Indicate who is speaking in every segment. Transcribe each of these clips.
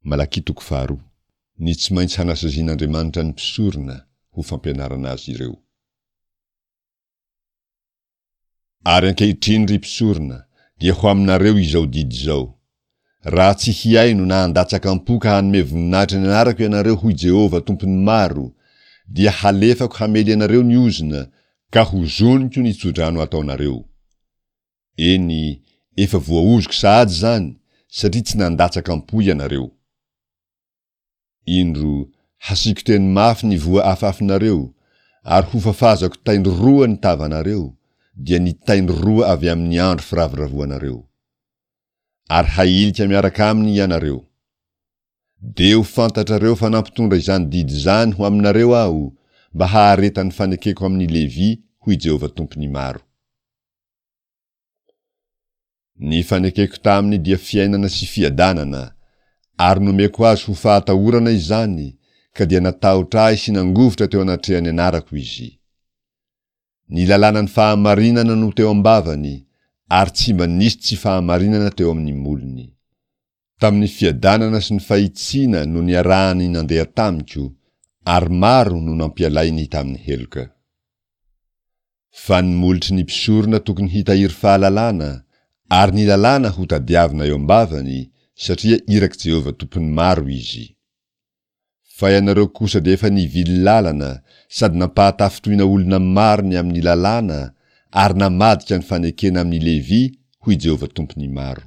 Speaker 1: Malakia toko faharoa. Ny tsy maintsy hanasazian'Andriamanitra ny mpisorona ho fampianarana azy ireo. Ary ankehitriny, ry mpisorona, dia ho aminareo izao didy izao, Raha tsy hihaino na handatsaka am-po ka hanome voninahitra ny anarako ianareo, hoy Jehovah, Tompon'ny maro, dia halefako hamely anareo ny ozona, ka hozoniko ny tsodrano ataonareo. Eny, efa voaozoko sahady izany, satria tsy nandatsaka am-po ianareo. Indro, hasiako teny mafy ny voa afafinareo, ary hofafazako taindry roa ny tavanareo, dia ny taindry roa avy amin'ny andro firavoravoanareo. Ary hahilika miaraka aminy ianareo. Dia ho fantatrareo fa nampitondra izany didy izany ho aminareo Aho, mba haharetan'ny fanekeko amin'i Levy, hoy Jehovah Tompon'ny maro. Ny fanekeko taminy dia fiainana sy fiadanana, ary nomeko azy ho fahatahorana izany, ka dia natahotra ahy sy nangovitra teo anatrehan'ny anarako izy. Ny lalànan'ny fahamarinana no teo am-bavany, ary tsy mba nisy tsy fahamarinana teo amin'ny molony. Tamin'ny fiadanana sy ny fahitsiana no niarahany nandeha tamiko, ary maro no nampialainy tamin'ny heloka. Fa ny molotry ny mpisorona tokony hitahiry fahalalana, ary ny lalàna hotadiavina eo am-bavany, satria irak'i Jehovah Tompon'ny maro izy. Fa ianareo kosa dia efa nivily lalana sady nampahatafintohina olona maro ny amin'ny lalàna ary namadika ny fanekena amin'i Levy, hoy Jehovah Tompon'ny maro.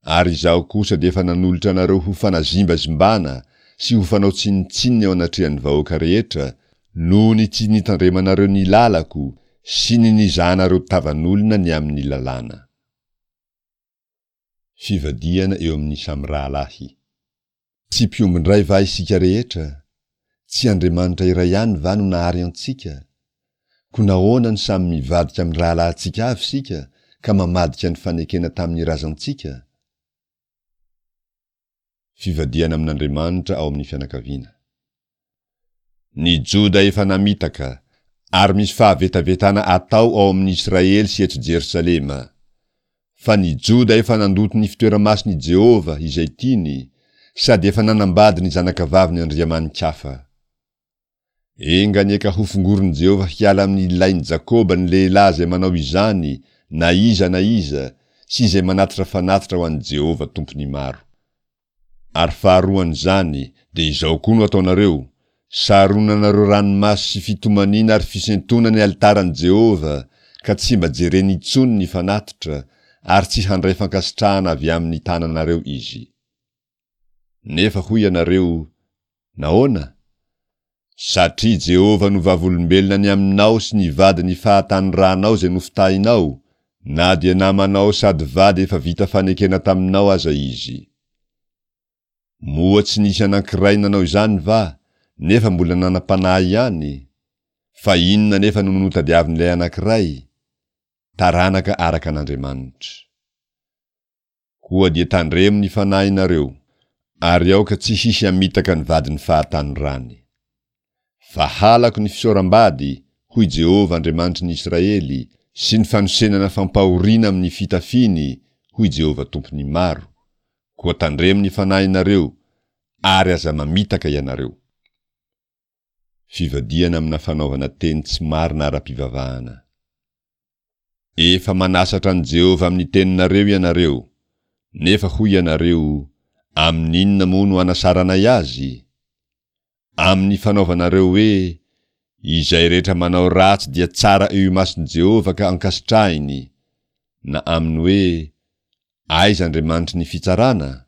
Speaker 1: Ary Izaho kosa dia efa nanolotra anareo ho fanazimbazimbana sy ho fanao tsinontsinona eo anatrehan'ny vahoaka rehetra, noho ny tsy nitandremanareo ny lalako sy ny nizahanareo tavan'olona ny amin'ny lalàna. Fivadihana eo amin'ny samy rahalahy. Tsy mpiombon-dray va isika rehetra? Tsy Andriamanitra iray ihany va no nahary antsika? Koa nahoana no samy mivadika amin'ny rahalahintsika avy isika ka mamadika ny fanekena tamin'ny razantsika? Fivadihana amin'Andriamanitra ao amin'ny fianakaviana. Ny Joda efa namitaka, ary misy fahavetavetana atao ao amin'ny Israely sy eto Jerosalema. Fa ny Joda efa nandoto ny fitoera-masin' i Jehovah izay tiany, sady efa nanambady ny zanakavavin' andriamani-kafa. Enga anie ka hofongorin'i Jehovah hiala amin' ny lain'i Jakoba ny lehilahy izay manao izany na iza na iza, sy izay manatitra fanatitra ho an'i Jehovah Tompon' ny maro. Ary faharoan'izany, dia izao koa no ataonareo, Saronanareo ranomaso sy fitomaniana ary fisentoana ny alitaran'i Jehovah, ka tsy mba jereny intsony ny fanatitra, ary tsy handray fankasitrahana avy amin'ny tananareo izy. Nefa hoy ianareo, Nahoana? Satria Jehovah no vavolombelona ny aminao sy ny vadin'ny fahatanoranao izay nofitahinao, na dia namanao sady vady efa vita fanekena taminao aza izy. Moa tsy nisy anankiray nanao izany va, nefa mbola nanam-panahy ihany? Fa inona anefa no notadiavin'ilay anankiray? Taranaka araka an'Andriamanitra. Koa dia tandremo ny fanahinareo, ary aoka tsy hisy hamitaka ny vadin'ny fahatanorany. Fa halako ny fisaoram-bady, hoy Jehovah Andriamanitry ny Israely, sy ny fanosenana fampahoriana amin'ny fitafiany, hoy Jehovah Tompon'ny maro, koa tandremo ny fanahinareo, ary aza mamitaka ianareo. Fivadihana amina fanaovana teny tsy marina ara-pivavahana. Efa manasatra an'i Jehovah amin'ny teninareo ianareo, nefa hoy ianareo, Amin'inona moa no anasaranay azy? Amin'ny fanaovanareo hoe, Izay rehetra manao ratsy dia tsara eo imason'i Jehovah ka ankasitrahiny, na amin'ny hoe, Aiza Andriamanitry ny fitsarana?